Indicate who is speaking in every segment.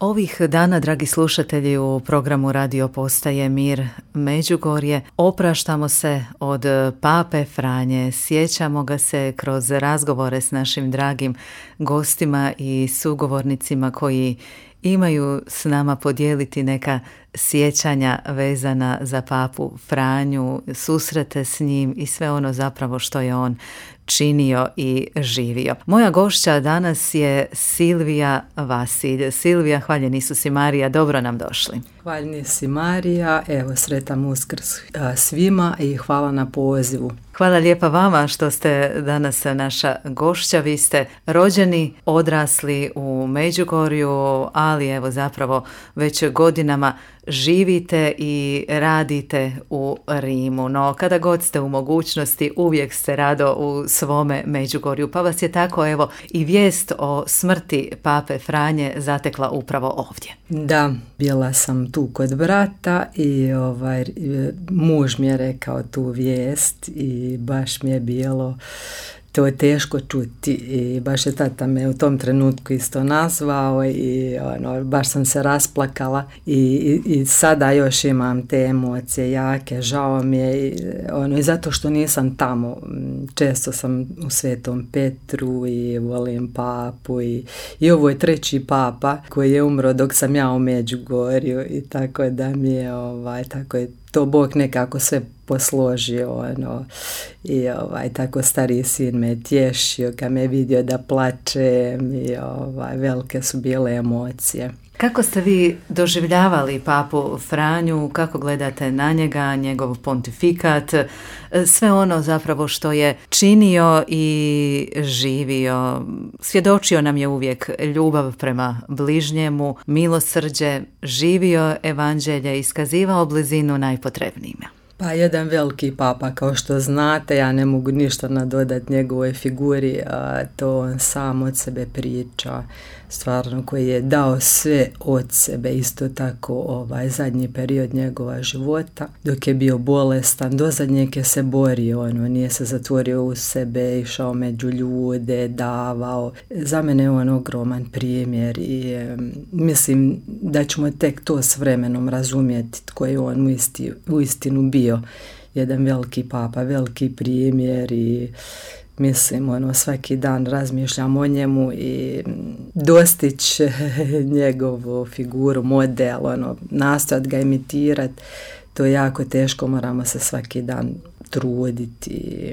Speaker 1: Ovih dana, dragi slušatelji, u programu Radio Postaje Mir Međugorje opraštamo se od Pape Franje, sjećamo ga se kroz razgovore s našim dragim gostima i sugovornicima koji imaju s nama podijeliti neka sjećanja vezana za Papu Franju, susrete s njim i sve ono zapravo što je on činio i živio. Moja gošća danas je Silvija Vasilj. Silvija, hvaljeni su si Marija, dobro nam došli.
Speaker 2: Hvaljeni si Marija, evo sretan Uskrs svima i hvala na pozivu.
Speaker 1: Hvala lijepa vama što ste danas naša gošća. Vi ste rođeni, odrasli u Međugorju, ali evo zapravo već godinama živite i radite u Rimu. No kada god ste u mogućnosti, uvijek ste rado u svome Međugorju. Pa vas je tako evo i vijest o smrti Pape Franje zatekla upravo ovdje.
Speaker 2: Da, bila sam tu kod brata i muž mi je rekao tu vijest i baš mi je bilo to je teško čuti i baš je tata me u tom trenutku isto nazvao i baš sam se rasplakala i sada još imam te emocije jake, žao mi je i zato što nisam tamo. Često sam u Svetom Petru i volim papu i ovo je treći papa koji je umro dok sam ja u Međugorju i tako da mi je tako je to Bog nekako sve posložio i tako stariji sin me tješio kad me vidio da plačem i velike su bile emocije.
Speaker 1: Kako ste vi doživljavali Papu Franju, kako gledate na njega, njegov pontifikat, sve ono zapravo što je činio i živio? Svjedočio nam je uvijek ljubav prema bližnjemu, milosrđe, živio evanđelje, iskazivao blizinu najpotrebnijima.
Speaker 2: Pa jedan veliki papa, kao što znate, ja ne mogu ništa nadodati njegovoj figuri, a to on sam od sebe priča, stvarno koji je dao sve od sebe, isto tako zadnji period njegova života, dok je bio bolestan, do zadnjeg je se borio, nije se zatvorio u sebe, išao među ljude, davao. Za mene je on ogroman primjer i mislim da ćemo tek to s vremenom razumjeti tko je on uistinu bio. Jedan veliki papa, veliki primjer i mislim, svaki dan razmišljam o njemu i dostići njegovu figuru, model, nastojati ga imitirati, to je jako teško, moramo se svaki dan truditi.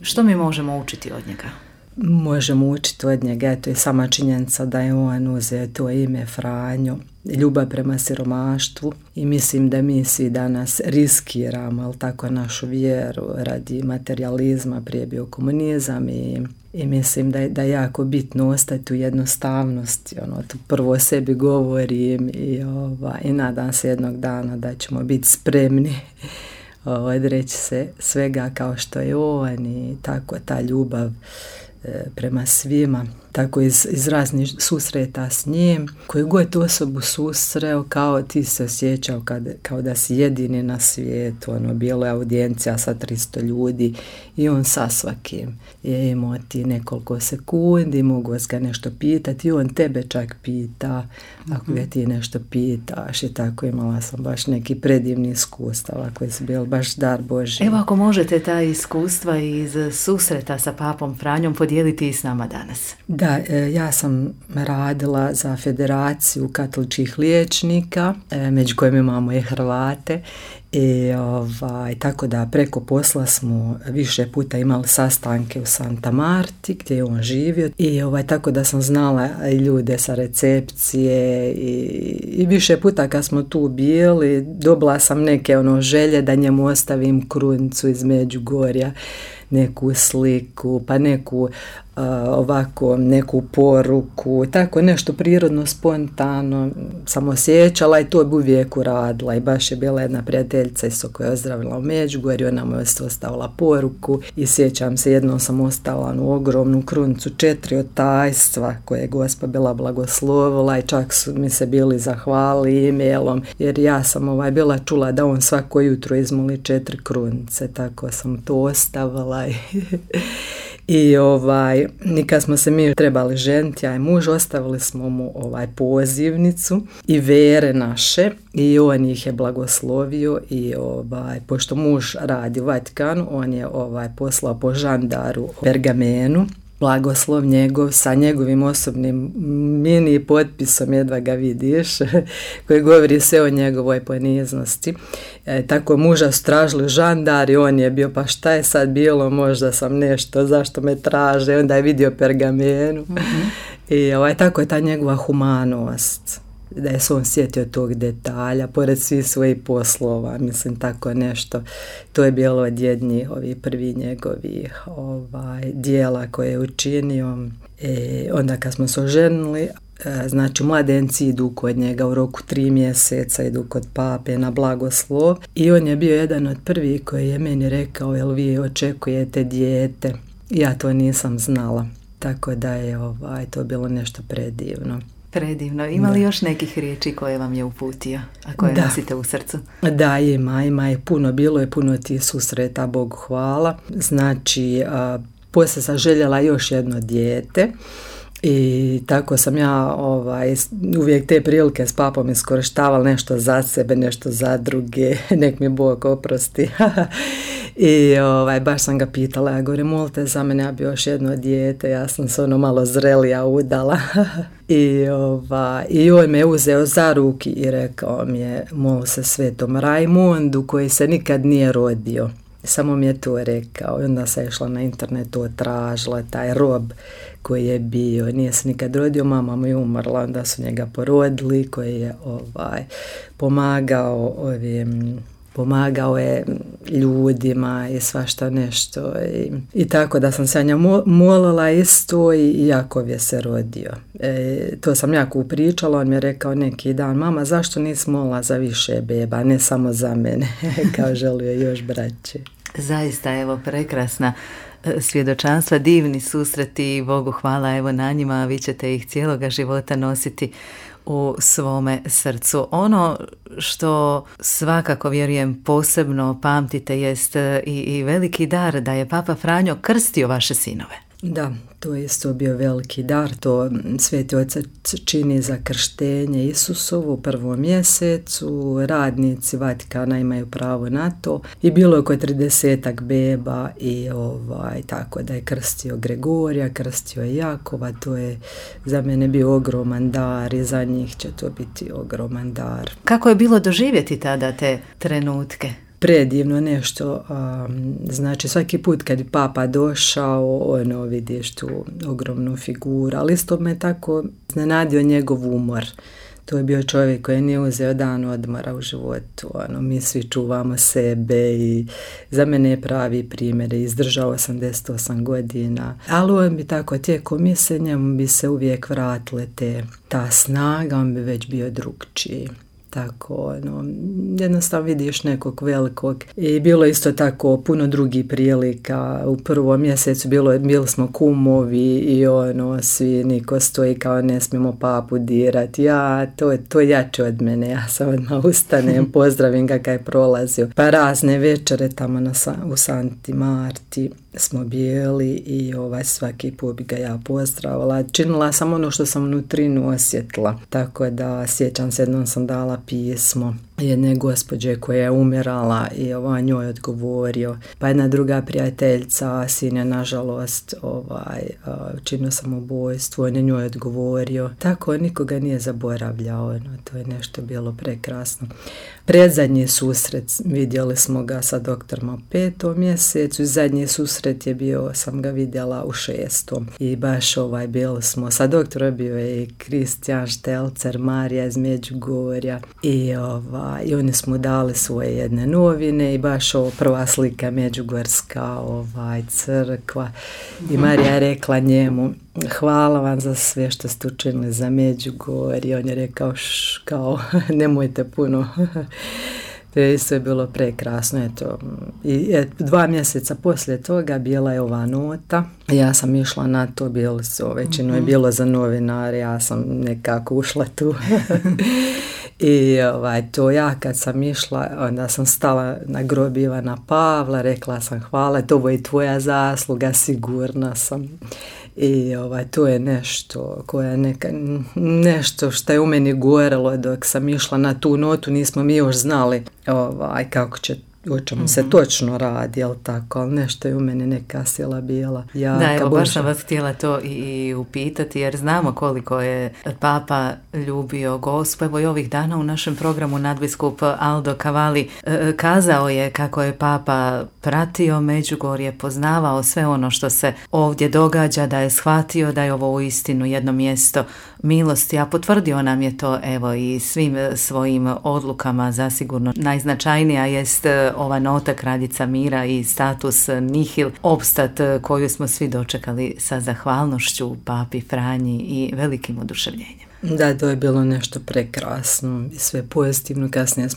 Speaker 1: Što mi možemo učiti od njega?
Speaker 2: Možemo učiti od njega, to je sama činjenica da je on uzeo to ime Franjo, ljubav prema siromaštvu i mislim da mi svi danas riskiramo, ali tako, našu vjeru radi materializma, prije bio komunizam i mislim da je jako bitno ostati u jednostavnosti, to prvo o sebi govorim i nadam se jednog dana da ćemo biti spremni odreći se svega kao što je on i tako ta ljubav prema svima, tako iz raznih susreta s njim, koju god osobu susreo, kao ti se osjećao kao da si jedini na svijetu, bilo je audijencija sa 300 ljudi i on sa svakim je imao ti nekoliko sekundi, mogu vas ga nešto pitati i on tebe čak pita ako ga ti nešto pitaš i tako imala sam baš neki predivni iskustava koji su bili baš dar Božji.
Speaker 1: Evo ako možete ta iskustva iz susreta sa Papom Franjom podijeliti i s nama danas.
Speaker 2: Da, ja sam radila za Federaciju katoličkih liječnika, među kojima imamo i Hrvate i tako da preko posla smo više puta imali sastanke u Santa Marti gdje je on živio i tako da sam znala ljude sa recepcije i više puta kad smo tu bili dobila sam neke želje da njemu ostavim krunicu iz Međugorja, neku sliku, pa neku neku poruku, tako nešto prirodno, spontano sam osjećala i to bi uvijek uradila i baš je bila jedna prijateljica isto koja je ozdravila u Međugorju, ona mu je ostavila poruku i sjećam se, jednom sam ostavila ogromnu krunicu 4 od tajstva koje je Gospa bila blagoslovila i čak su mi se bili zahvalili e-mailom jer ja sam bila čula da on svako jutro izmoli 4 krunice, tako sam to ostavila I kad smo se mi trebali ženiti, ja i muž, ostavili smo mu pozivnicu i vere naše i on ih je blagoslovio i pošto muž radi u Vatikanu, on je poslao po žandaru u pergamenu blagoslov njegov sa njegovim osobnim mini potpisom, jedva ga vidiš, koji govori sve o njegovoj poniznosti. Tako muža su tražili žandar i on je bio, pa šta je sad bilo, možda sam nešto, zašto me traže, onda je vidio pergamenu. I tako je ta njegova humanost, da je se on sjetio tog detalja, pored svih svojih poslova, mislim tako nešto. To je bilo od jednih prvi njegovih dijela koje je učinio. Onda kad smo se oženili, znači mladenci idu kod njega u roku 3 mjeseca, idu kod pape na blagoslov i on je bio jedan od prvih koji je meni rekao, jel vi očekujete dijete? Ja to nisam znala, tako da je to bilo nešto predivno.
Speaker 1: Predivno. Ima li još nekih riječi koje vam je uputio, a koje nosite u srcu?
Speaker 2: Da, ima je puno, bilo je puno tih susreta, Bogu hvala. Znači, poslije sam željela još jedno dijete i tako sam ja uvijek te prilike s papom iskorištavala, nešto za sebe, nešto za druge, nek mi Bog oprosti. I baš sam ga pitala, ja govorim, molite za mene, ja bi još jedno dijete, ja sam se malo zrelija udala. I on me uzeo za ruki i rekao mi je, moli se svetom Rajmundu koji se nikad nije rodio. Samo mi je to rekao i onda sam išla na internetu, tražila taj rob koji je bio, nije se nikad rodio, mama mu je umrla, onda su njega porodili, koji je pomagao je ljudima i svašta nešto i tako da sam se nja molila isto i Jakov je se rodio. To sam jako upričala, on mi je rekao neki dan, mama, zašto nisi molila za više beba, ne samo za mene, kao želio još braće.
Speaker 1: Zaista, evo, prekrasna svjedočanstva, divni susreti, Bogu hvala, evo na njima, vi ćete ih cijeloga života nositi u svome srcu. Ono što svakako, vjerujem, posebno pamtite jest i veliki dar da je Papa Franjo krstio vaše sinove.
Speaker 2: Da, to je isto bio veliki dar, to Sveti Otac čini za krštenje Isusovu u 1. mjesecu, radnici Vatikana imaju pravo na to i bilo je oko 30 beba i tako da je krstio Gregorija, krstio je Jakova, to je za mene bio ogroman dar i za njih će to biti ogroman dar.
Speaker 1: Kako je bilo doživjeti tada te trenutke?
Speaker 2: Predivno nešto, znači svaki put kad je papa došao, vidiš tu ogromnu figuru, ali isto me tako iznenadio njegov umor. To je bio čovjek koji nije uzeo dan odmora u životu, mi svi čuvamo sebe i za mene je pravi primjer, izdržao 88 godina, ali on bi tako tijekom misle, njemu bi se uvijek vratile ta snaga, on bi već bio drugčiji. Tako, jednostavno vidiš nekog velikog i bilo isto tako puno drugih prilika. U 1. mjesecu bili smo kumovi i svi niko stoji kao ne smijemo papu dirati. To je jače od mene, ja sam odmah ustanem, pozdravim ga kad je prolazio. Pa razne večere tamo u Santi Marti smo bili i svaki put bi ga ja pozdravila. Činila sam ono što sam unutrinu osjetila, tako da sjećam se, jednom sam dala pismo jedne gospođe koja je umirala i njoj odgovorio. Pa jedna druga prijateljica, sin je nažalost činio samoubojstvo, on je njoj odgovorio. Tako nikoga nije zaboravljao, to je nešto bilo prekrasno. Predzadnji susret vidjeli smo ga sa doktorom u 5. mjesecu i zadnji susret je bio, sam ga vidjela u 6. I baš bili smo sa doktorom, bio je i Kristijan Štelcer, Marija iz Međugorja i oni smo dali svoje jedne novine i baš prva slika međugorska crkva i Marija je rekla njemu, hvala vam za sve što ste učinili za Međugorje. On je rekao kao nemojte puno. To je sve bilo prekrasno. Eto. I 2 mjeseca poslije toga bila je ova nota. Ja sam išla na to, većino je bilo za novinare, ja sam nekako ušla tu. I to ja kad sam išla, onda sam stala na grob Ivana Pavla, rekla sam hvala, to je i tvoja zasluga, sigurna sam. I to je nešto nešto što je u meni gorelo dok sam išla na tu notu, nismo mi još znali kako će, o čemu se točno radi, jel tako, ali nešto je u meni neka sila bila.
Speaker 1: Da, evo baš sam vas htjela to i upitati, jer znamo koliko je Papa ljubio Gospu. Evo i ovih dana u našem programu nadbiskup Aldo Cavalli kazao je kako je Papa pratio Međugorje, poznavao sve ono što se ovdje događa, da je shvatio da je ovo uistinu jedno mjesto milosti, a potvrdio nam je to evo i svim svojim odlukama. Zasigurno najznačajnija jest ova nota Kraljica mira i status nihil opstat koju smo svi dočekali sa zahvalnošću Papi Franji i velikim oduševljenjem.
Speaker 2: Da, to je bilo nešto prekrasno i sve pozitivno. Kasnije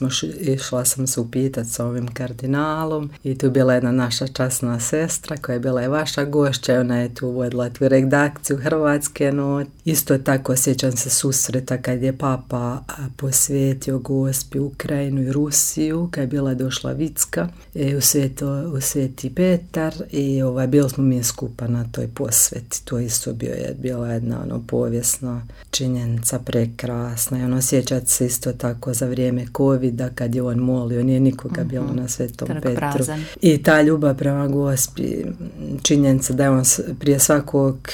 Speaker 2: išla sam se upitati sa ovim kardinalom i tu je bila jedna naša časna sestra koja je bila i vaša gošća i ona je tu vodila tu redakciju hrvatske note. Isto tako sjećam se susreta kad je Papa posvetio Gospi Ukrajinu i Rusiju, kad je bila došla Vicka u Sveti Petar i bili smo mi skupa na toj posveti. To isto bila jedna povijesna činjenica, prekrasna i sjećati se isto tako za vrijeme covida kad je on molio, nije nikoga bilo na Svetom Petru.
Speaker 1: Prazan.
Speaker 2: I ta ljubav prema Gospi, činjenica da je on prije svakog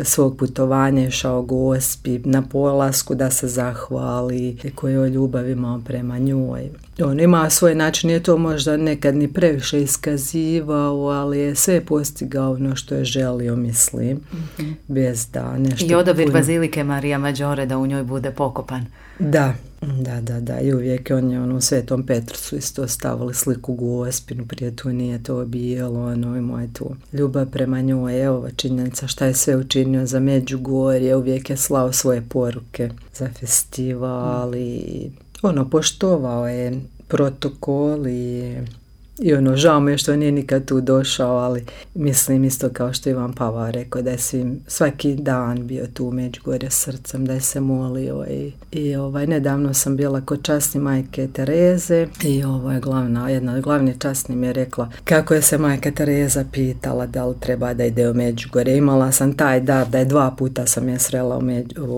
Speaker 2: svog putovanja išao Gospi na polasku da se zahvali, koju ljubav imao prema njoj. On ima svoj način, nije to možda nekad ni previše iskazivao, ali je sve postigao ono što je želio, mislim, bez da nešto...
Speaker 1: I odabir Bazilike Marija Maggiore da u njoj bude pokopan.
Speaker 2: Da. I uvijek on je u Svetom Petru su isto stavili sliku Gospinu, prije tu nije to bilo, imao je tu ljubav prema njoj, evo činjenica šta je sve učinio za Međugorje, uvijek je slao svoje poruke za festival i poštovao je protokol i žao mi je što nije nikad tu došao, ali mislim isto kao što Ivan Pavao rekao da je svaki dan bio tu u Međugorje srcem, da je se molio i nedavno sam bila kod časne majke Tereze i jedna od glavnih časnih mi je rekla kako je se majka Tereza pitala da li treba da ide u Međugorje. Imala sam taj dar da je 2 puta sam je srela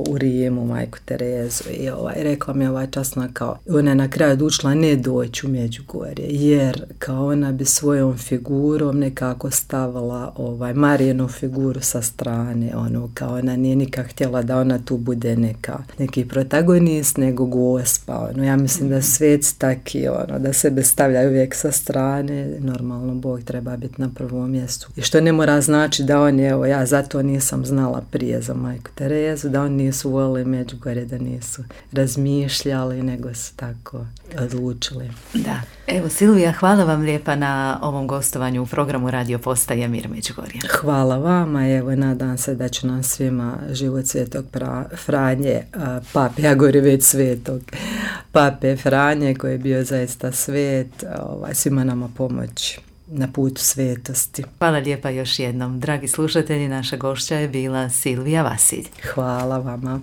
Speaker 2: u Rimu majku Terezu i rekla mi je časna kao ona je na kraju odlučila ne doći u Međugorje jer kao ona bi svojom figurom nekako stavila Marijinu figuru sa strane, kao ona nije nikak htjela da ona tu bude neki protagonist, nego Gospa, ja mislim da sveci taki, da sebe stavljaju uvijek sa strane, normalno Bog treba biti na prvom mjestu. I što ne mora znači da oni, ja zato nisam znala prije za majku Terezu, da oni nisu volili Međugorje, da nisu razmišljali, nego su tako odlučili.
Speaker 1: Da. Evo Silvija, hvala vam lijepa na ovom gostovanju u programu Radio Postaje Mir Međugorje.
Speaker 2: Hvala vama, evo nadam se da će nam svima život Svetog Franje, Pape, ja govorim već Svetog Pape Franje koji je bio zaista svet, svima nama pomoći na putu svetosti.
Speaker 1: Hvala lijepa još jednom. Dragi slušatelji, naša gošća je bila Silvija Vasilj.
Speaker 2: Hvala vama.